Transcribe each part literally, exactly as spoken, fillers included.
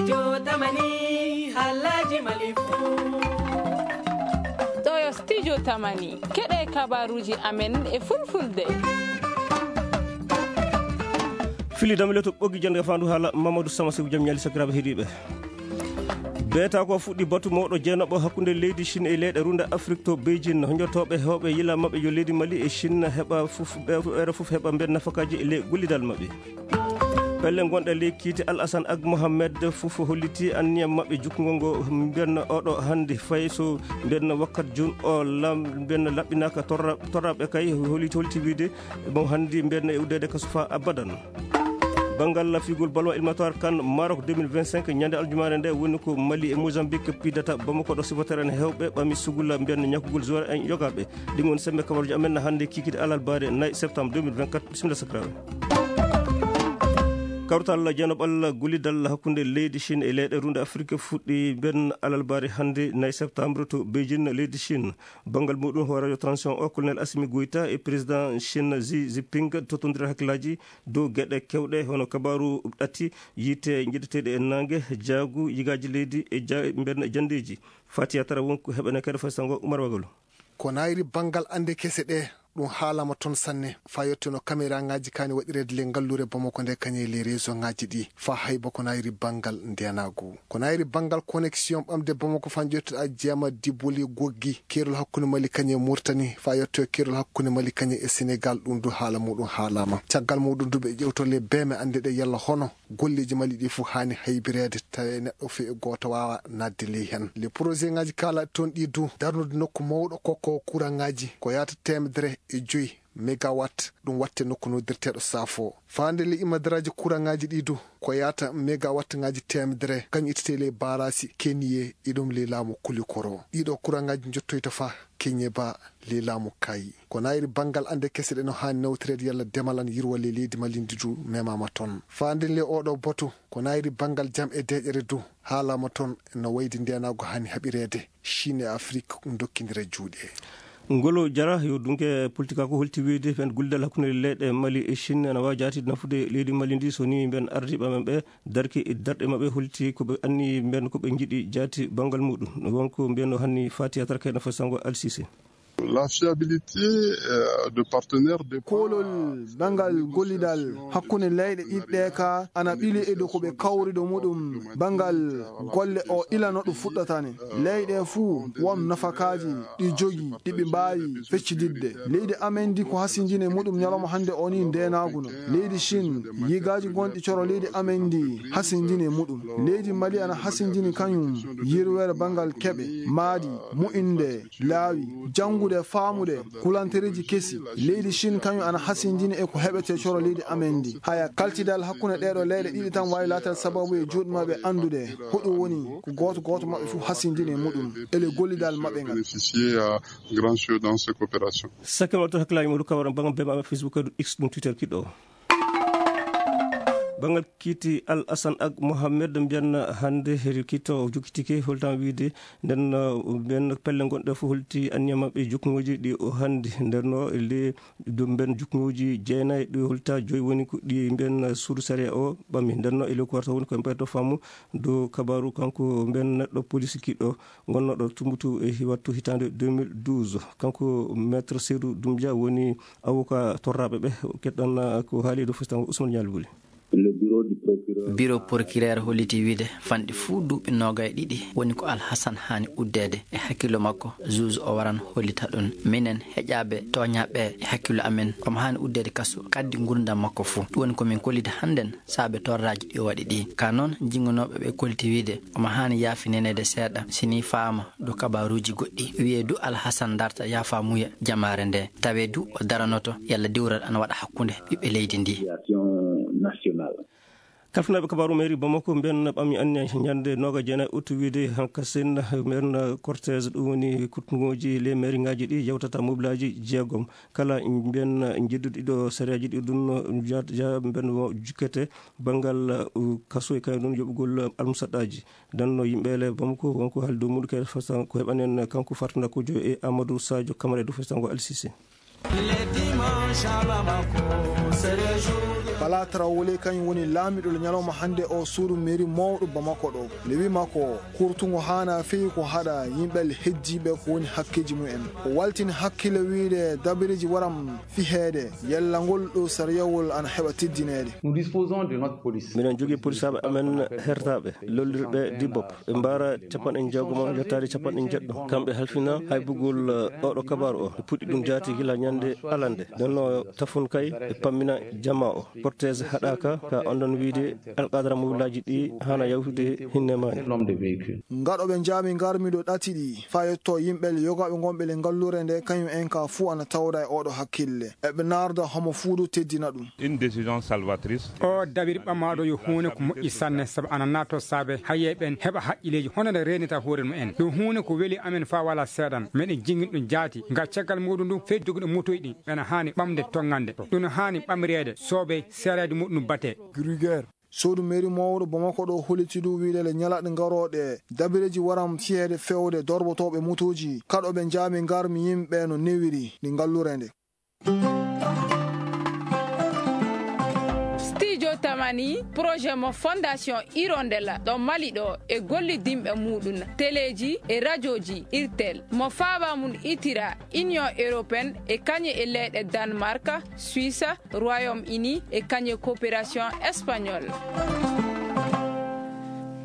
Studio Tamani, halaji Mali fu. Ɗo yo Studio Tamani, keɗe kabaruji amen e fulfulde. Fili damle to ɓoggi jannde fandu haala Mamadou Sama Sew, jam ñaali sakiraaɓe heɗiiɓe. Beeta ko fuɗɗi batu mawɗo jeenaɓo hakkunde leydi Chine e leyɗe runda Afrique to Beijing. Honjotooɓe heewɓe yila maɓɓe yo leydi Mali e Chine heɓa fof, ɓe, ɓeeɗo fof heɓa mben nafakaaji e ley gollidal maɓɓe. Pelle gonɗe ley kiite Al Hassan Ag Mohamed fof holliti anniya maɓɓe jukkugol ngo mben oɗo hannde fay so mben wakkat jun o lam-, mben laɓɓinaaka torra-, torraɓe kay holliti, holliti wiide mo hannde mben e uddede kaso fa abadan. Banngal lafigol ballon éliminatoire kan Maroc deux mille vingt-cinq ñande aljumaare nde woni ko Mali e Mozambique pidata Bamako ɗo supporter en heewɓe ɓami sugula mben ñakkugol joueur en yogaɓe. Ɗin woni sembe kabaruji amen hannde kikiɗe alarbaare nayi septembre deux mille vingt-quatre. Bisimilla sakiraaɓe. Kawtal jeenoɓal gollidal hakkunde leydi Chine e leyɗe runde Afrique fuɗɗi ben alarbaare hannde nayi septembre to Beijing, leydi Chine. Banngal muɗum, hooreejo transition o, Colonel Assimi Goïta, e président Chine Xi Jinping totondira hakkillaaji dow geɗe kewɗe, hono kabaaru ɗatti, yiite njiɗeteeɗe e naange, jaagu, yigaaji leydi e ja-, mben janndeeji. Fatiya Tara wonko heɓene kadi fay sango Umar Wagalo. Ko nayri banngal annde kese ɗe, ɗum haalama toon sanne, faa yettuno kameraaŋaaji kaani waɗireede le ngalluure Bamako nde, kañe le réseau ŋaaji ɗi, faa hayba ko nayri banngal ndenaagu. Ko nayri banngal connexion ɓamde Bamako faa njettuɗa jeema Diboli Goggi, keerol hakkunde Mali kañe Mauritanie, faa yetto keerol hakkunde Mali kañe e Sénégal, ɗum du haala muɗum haalama. Caggal muɗum du ɓe ƴewto le beeme annde ɗe yalla hono golleeji Mali ɗi fof haani haybireede, tawi neɗɗo fii e gooto waawa naatde ley heen. Le projet ŋaaji kaala toon ɗi du, darnude nokku mawɗo kokko courant ŋaaji ko yaata teemedere e joyi megawatt, ɗum watte nokku noddirteeɗo Safo. Faande le imadaraaji courant ŋaaji ɗi du, ko yaata megawatt ŋaaji teemedere, kañum ittete le baaraasi Keniye, e ɗum le laamu Kulikoro. Ɗiɗo courant ŋaaji njottoyta faa Kenyeba, le laamu Kayi. Ko nayri banngal annde kese ɗe no haani nawtoreede yalla demal an yirwa le leydi Mali ndi du memaama toon. Faande le oɗo batu, ko nayri banngal jam e deeƴere du, haalama toon no wayde ndenaagu haani haɓireede. Chine e Afrique ndokkindira juuɗe. Ngolo Jara yo dunke politika ko holti wiide fen guldal hakkunde leyɗe Mali e Chine ana waawi jaati nafude leydi Mali ndi so ni mben ardiiɓe men ɓe darki e darɗe maɓɓe holti ko ɓe anni mben ko ɓe njiɗi jaati banngal muɗum. Wonko mbiyanno hanni Fatiya Tara kayna fo sango Al Sisi. La fiabilité, euh, de partenaires dépend. Koolol banngal gollidal hakkunde leyɗe ɗiɗi ɗe ka ana ɓili e dow ko ɓe kawri dow muɗum banngal golle o ila no ɗum fuɗɗata ne. Leyɗe fuu won nafakaaji ɗi jogi ɗi ɓe mbaawi feccididde. Leydi amen ndi ko hasinjine muɗum ñalawma hannde o ni ndeenaagu no. Leydi Chine, yigaaji gonɗi coro leydi amen ndi hasinjine muɗum. Leydi Mali ana hasinjini kañum yirweere banngal keɓe, maadi, mu'inde, laawi, janngude, faamude, kulantereeji kesi. Leydi Chine kañum ana hasinjini e ko heɓete coro leydi amen ndi. Haya, kaltidal hakkunde ɗeeɗo leyɗe ɗiɗi tan waawi laatal sababu e juuɗe maɓɓe anndude ko ɗum woni ko gooto gooto maɓɓe fof hasinjini e muɗum ele gollidal maɓɓe ngal. Bénéficier à grand jeu dans ces coopérations. Sakkema to hakkilaaji muɗum kawra banngal bema amen Facebook, X, ɗum Twitter kiɗɗo. Banngal kiiti Al Hassan Ag Mohamed mbiyan hannde heri kiito o jokkitike holtan wiide nden, uh, mbiyan pelle gonɗe fof holti anniya maɓɓe jukkuŋooji ɗi o hannde nden no le ɗum mbiyan jukkuŋooji jeenayi ɗi holta joyi woni ko ɗi mbiyan suudu sariya o ɓami nden no e ley ko warta woni ko mbayto faamu dow kabaru kanko mbiyan neɗɗo police kiɗɗo. Ngonnooɗo Tumbutu e hi-, wattu hitaande deux mille douze. Kanko Maître Seydou Doumbia woni avocat torraaɓe ɓe. Keɗɗon, ah, ko haali e dow festango Ousmane Nialy Wuli. Bureau procureur holliti wiide fanɗi fuu duuɓi noogay ɗiɗi woni ko Al Hassan haani uddeede. E hakkillo makko, juge o waran hollita ɗum. Minen heƴaaɓe tooñaaɓe e hakkillo amen, omo haani uddeede kaso kaddi ngurndan makko fuu. Ɗum woni ko min kolliti hannden. Saabe torraaji ɗi o waɗi ɗi. Ka noon, jinnganooɓe ɓe kolliti wiide omo haani yaafineneede seeɗa, si nii faama dow kabaaruuji goɗɗi. Wiyee du Al Hassan darta yaafaamuya jamaare nde. Tawee du o daranoto yalla diwral ana waɗa hakkunde ɓiɓɓe leydi ndi. Kalfinaaɓe kabaaru mairie Bamako mbiyan ɓami anniya ñande nooga jeenayi août wiide hankasen mbiyan cortège ɗum woni kuttungooji les mairie ŋaaji ɗi yawtata mobilaaji jeegom. Kala mbiyan njedduɗo ɗiɗo sariyaji ɗi ɗum ja-, ja-, mbiyan mo jukkete banngal, uh, kaso e kañum ɗum yoɓugol almusaɗɗaaji. Danno yimɓe le Bamako wonko haalde dow muɗum kadi fasa ko heɓanen kanko Fartunda Kojo e Amadou Sadio Camara e dow festango Al Sisi. Le dimanche à Bamako, c'est le jour. Bala Traoré kañum woni laamiɗo le ñalawma hannde o suudu mairie mawɗo Bamako ɗo. Nde wi makko, kurtungo haana feewi ko haɗa yimɓe le heddiiɓe ko woni hakkeeji mumen. O waltini hakkille wiyde dabireeji waram fiheede, yalla ngol ɗo sariyawol ana heɓa teddineede. Nous disposons de notre police. Miɗen jogii polisaaɓe amen hertaaɓe, lollirɓe dibbop. Ɓe mbaara capanɗe jeegom yettaade capanɗe jeɗɗo. Kamɓe halfina haybugol, eh, oɗo kabaaru o. Ɓe puɗɗi ɗum jaati gila ñande alande. Nden no tafun kay e pammina jamaa o. Protège haɗaaka ka on ɗon wiide alqadara mobile aji ɗi hana yawtude hinne maani. Ngaɗo ɓe jaami ngarmi ɗo ɗati ɗi. Fa yetto yimɓe le yogaaɓe ngonɓe le ngallure nde kañum en ka fuu ana tawda e oɗo hakkille. Eɓe narda homo fuu du teddina ɗum. Une décision salvatrice. O dawir ɓamaaɗo yo huune ko moƴƴi sanne, sabu ana naato saabe haye ɓen heɓa haqqileeji hono nde reenita hoore mumen. Ɗum huune ko weli amen faa wala seeɗan. Meɗen jingin ɗum jaati. Nga caggal muɗum ɗum, feddugo ɗum motoy ɗin, ɓena haani ɓamde tongande. Ɗum haani ɓamreede, soobey seereede muɗum batee. Gruyère. Suudu mairie mawɗo Bamako ɗo holliti du wiide le ñalaɗe ngarooɗe, dabireeji waram fiyeede fewde dorbotooɓe motooji, kaɗo ɓe jaami ngarmi yimɓe no newiri ɗi ngallure nde. Studio Tamani, projet mo Fondation Hirondella ɗo Mali ɗo e gollidinɓe muɗum, teleeji e rajooji Irtel, mo faaba mum itira Union Européenne e kañe e leyɗe Danemark, Suisse, Royaume-Uni e kañe coopération espagnole.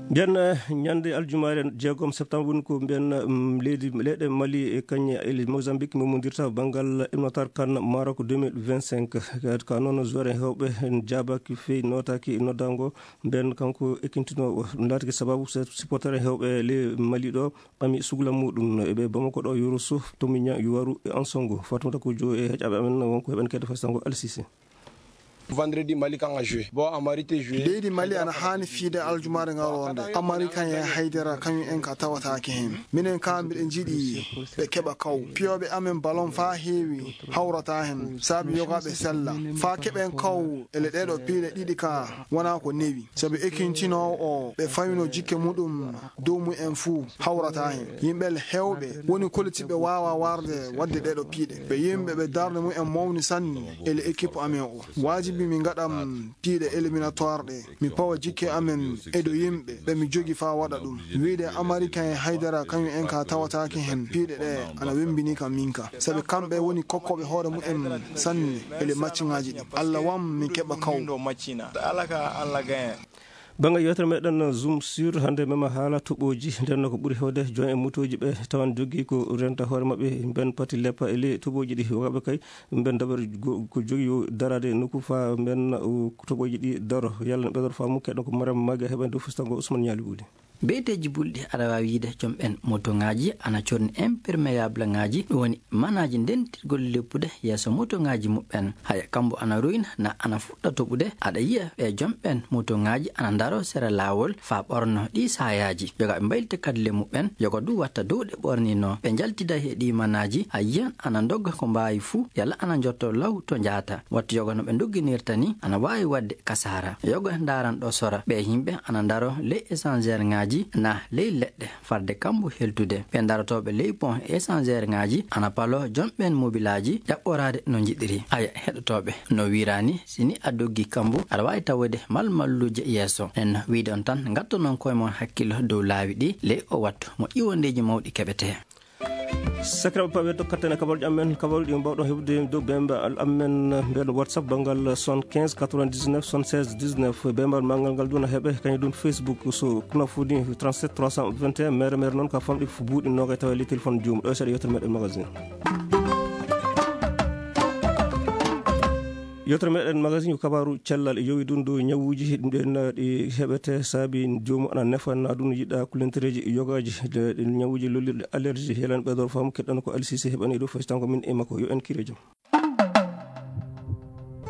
Mbiyen, eh, ñande aljumaare jeegom septembre woni ko mbiyen, mm, leydi, leyɗe Mali e kañe e Mozambique memondirta banngal éliminatoire CAN Maroc deux mille vingt-cinq. Ka noon joueur en heewɓe en jaabaaki feewi nootaaki noddaango mbiyen kanko ekintinoowo. Ɗum laatake sababu se-, supporter en heewɓe le Mali ɗo ɓami sugla muɗum e ɓe Bamako ɗo, Yoro Sow, Tomiña, Yuwaru e Ansongo. Fatumata ko jo e heƴaɓe amen wonko heɓen kede fastango Alsise. Vendredi, Mali kan a joué. Bon, Amari te joué. Leydi Mali ana haani fiide aljumaare ngaroo nde. Amari kan e Haydara kañum en ka tawataake heen. Minen ka mbiɗen njiɗi ɓe keɓa kaw. Piyooɓe amen ballon faa heewi hawrata heen. Saabi yogaaɓe sella. Faa keɓen kaw ele ɗeɗo piiɗe ɗiɗi ka wonaa ko newi. Sabi ekintinoowo o ɓe fayno jikke muɗum dow mumen fuu hawrata heen. Yimɓe heewɓe woni kolitiiɓe waawa warde waɗde ɗeɗo piiɗe. Ɓe yimɓe ɓe darnde mumen mawni sanne ele équipe amen o. Waajibi mi ngaɗam piiɗe éliminatoire ɗe. Mi pawa jikke amen e dow yimɓe ɓe mi jogi faa waɗa ɗum. Wiide Amari kan e Haydara kañum en ka tawataake heen. Piiɗe ɗe ana wembini kam min ka. Sabi kamɓe woni kokkooɓe hoore mumen sanne ele matchŋaaji ɗi. Allah wam min keɓa kaw. Bannge yewtere meɗen Zoom sur hannde mema haala toɓooji. Nden no ko ɓuri hewde joom en motooji ɓe tawan jogii ko renta hoore maɓɓe mben pati leppa e ley toɓooji ɗi. Waɓe kay mben dabar go-, ko jogii yo daraade nokku fa mben, o, toɓooji ɗi daro. Yalla no ɓeydor faamu keɗen ko Mariam Maga heɓen dow fustango Ousmane Ñaali Wuli. Beeteeji bulɗi aɗa waawi yiide joom ɓen motoŋaaji ana corni imperméable ŋaaji, ɗum woni manaaji ndentirgol leppude yeeso motoŋaaji muɓɓen. Haya, kambo ana ruyna na ana fuɗɗa toɓude, aɗa yiya ɓe joom ɓen motoŋaaji ana ndaro sera laawol faa ɓorno ɗii saayaaji. Yogaaɓe mbaylita kadle muɓɓen, yoga du watta dow ɗe ɓorninoo. Ɓe njaltida he ɗii manaaji, a yiyan ana ndogga ko mbaawi fuu, yalla ana njotto law to njaata. Wattu yoga no ɓe ndogginirta ni, ana waawi waɗde kasaara. Yoga ndaaran ɗo sora. Ɓee yimɓe ana ndaro ley échangeur ŋaaji na ley leɗɗe, farde kambu heltude. Ɓee ndarotooɓe ley pont échangeur ŋaaji ana paloo joom ɓeen mobilaaji ƴaɓɓoraade no njiɗiri. Aya, heɗotooɓe, no wiiraani, si ni a doggi kambu, aɗa waawi tawude malmalluuje yeeso. Nden no wiide on tan, ngattonon koye mon hakkillo dow laawi ɗi ley o wattu mo ƴiwondeeji mawɗi keɓetee. Sakiraaɓe, pawe to kattane kabaruuji amen, kabaruuji ɗi mbawɗon heɓude dow bemba al amen, mbeɗo WhatsApp banngal soixante-quinze quatre-vingt-dix-neuf soixante-seize dix-neuf. Bemba al manngal ngal duna heɓe, kañum dun Facebook so kuna fudi trente-sept trois cent vingt et un, mere mere noon ka famɗi fu buuɗi nogay tawa li téléphone joom. Ɗo seeɗa yewtere meɗen magazine. Yewtere meɗen magazine ko kabaaru cellal, yowi ɗum dow ñawuuji ɗin ɗi heɓete saabi joomu ana nefa na ɗum yiɗa kulentereeji yogaaji, ɗe, ɗe ñawuuji lollirɗe allergie. Helan ɓeydor faamu keɗɗan ko Alsise heɓani ɗo fasitan ko min e makko. Yo en kiire jam.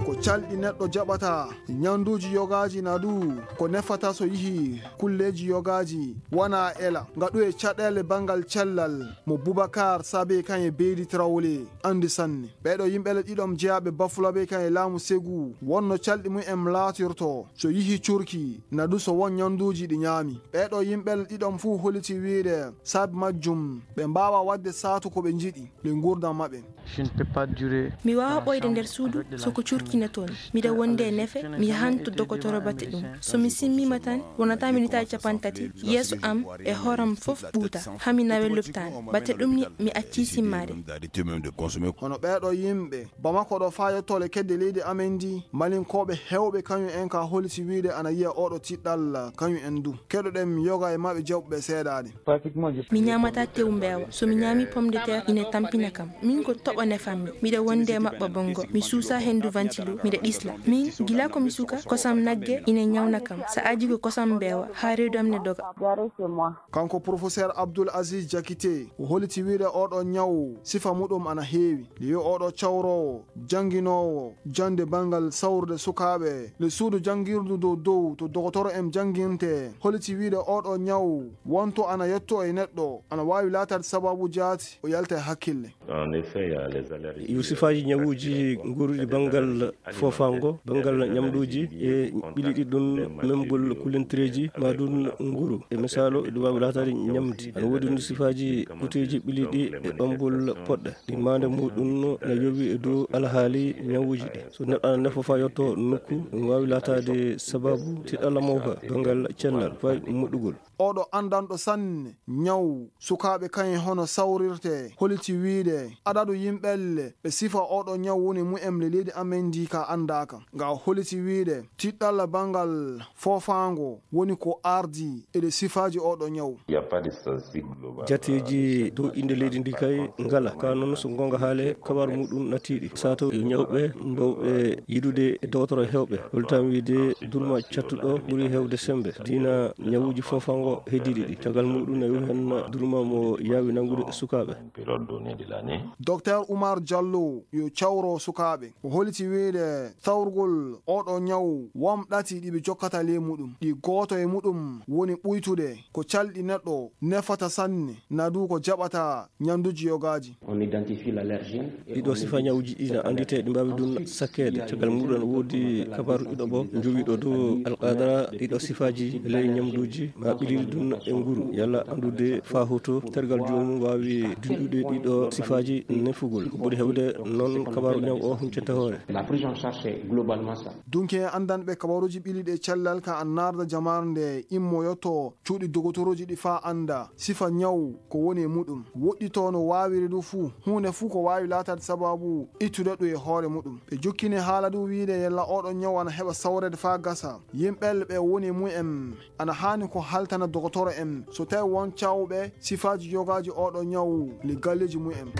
Ko calɗi neɗɗo jaɓata, ñanduuji yogaaji na du ko nefata so yihi kulleeji yogaaji, wona ela. Ngaɗu e caɗeele banngal cellal mo Boubacar Sabe kan e Beydi Traoré. Anndi sanne. Ɓeeɗo yimɓe le ɗiɗon jeyaaɓe Bafulabe kan e laamu Segu, wonno calɗi mum en laatirto so yihi curki, na du so won ñanduuji ɗi ñaami. Ɓeeɗo yimɓe le ɗiɗon fuu holiti wiide saabi majjum, ɓe mbaawa waɗde saatu ko ɓe njiɗi, le nguurndam maɓɓe. Mi waawaa ɓooyde nder suudu so ko curki ne toon. Miɗa wondi e nefe, mi yahan to dokotoro bate ɗum. So mi simmiima tan, wonata minitaaji capanɗe tati, yeeso am e hooram fof ɓuuta, haa mi nawe lopitaal. Bate ɗum ni, mi accii simmaade. Hono ɓeeɗo yimɓe, Bamako ɗo faa yottoole kedde leydi amen ndi, Malinkooɓe heewɓe kañum en ka holiti wiyde ana yiya oɗo tiɗɗal kañum en du. Keɗoɗen yoga e maɓɓe jaɓuɓe seedaade. Mi ñaamataa tew mbeewa. So mi ñaami pomme de terre, ine tampina kam. Min ko toɓo nefammi. Miɗa wondi e maɓɓa bonngo. Mi suusa henndu ventilo. Miɗa ɗisla. Min, gila ko mi suka, kosam nagge ine ñawna kam. Sa'aaji ko kosam mbeewa, haa reedu am ne doga. Kanko Professeur Abdoul Aziz Diakité, o holiti wiyde oɗo ñaw sifa muɗum ana heewi. Yo oɗo cawroowo, jannginoowo, jannde banngal sawrude sukaaɓe, le suudu janngirdu dow dow to dogotoro en jannginte, holiti wiyde oɗo ñaw wonto ana yetto e neɗɗo, ana waawi laataade sababu jaati, o yalta e hakkille. Yo sifaaji ñawuuji nguuruɗi banngal foofaango, banngal ñamluuji e ɓiliɗi ɗum memmbol kulintireeji ma ɗum nguru. E misaalu, ɗum waawi laataade ñamdi. Ana woodi ɗum sifaaji kuteeji ɓiliɗi e ɓammbol poɗɗe. Ɗi maande muɗum na yowi e dow alhaali ñawuuji ɗi. So neɗɗo ana nefo faa yotto nokku, ɗum waawi laataade sababu tiɗalla mawka, banngal cellal, fay moɗɗugol. Oɗo anndanɗo sanne ñaw sukaaɓe kañum hono sawrirte holiti wiyde adadu yimɓelle ɓe sifa oɗo ñaw woni mu'emle leydi amen ndi ka anndaaka. Nga holiti wiyde tiɗɗalla banngal foofaango woni ko ardi e ɗe sifaaji oɗo ñaw. Jateeji dow innde leydi ndi kay ngala. Ka noon so goonga haale, kabaaru muɗum natiiɗi. Sato yo ñawɓe mbawɓe yidude e dogotoro heewɓe. Holtam wiide durma cattuɗo ɓuri heewde sembe. Diina ñawuuji fofango heddiiɗi ɗi. Caggal muɗum ne yowi heen durma mo yaawi nanngude sukaaɓe. Docteur Oumar Diallo yo cawro sukaaɓe. O holiti wiide sawrugol oɗo ñaw won ɗati ɗi ɓe jokkata ley muɗum. Ɗi gooto e muɗum woni ɓuytude ko calɗi neɗɗo nefata sanne, na du ko jaɓata ñanduuji yogaaji. Ɗiɗo sifa ñawuuji ɗi na annditee, ɗi mbaawi ɗum sakkeede. Caggal muɗum ene woodi kabaaru ɗiɗo ɓo jowiiɗo dow alqadara ɗiɗo sifaaji ley ñamduuji ma ɓiliri ɗum e nguru. Yalla anndude faa hoto tergal joomum waawi dinɗude ɗiɗo sifaaji nefugol. Ko ɓuri heewde noon kabaaru ñaw o huncanta hoore. Dunke en anndanɓe kabaruuji ɓiliɗi e cellal ka annaarda jamaare nde immoyoto cuuɗi dogotorooji ɗi faa annda sifa ñaw ko woni e muɗum. Woɗɗitoo no waawiri du fuu, huunde fuu ko waawi laataade sabaabu ittude ɗum e hoore muɗum. Ɓe jokkini haala du wiide yalla oɗo ñaw ana heɓa sawreede faa gasa. Yimɓe ɓe woni e mumen ana haani ko haltana dogotoro en so tawi won cawɓe sifaaji yogaaji oɗo ñaw le galleeji mumen.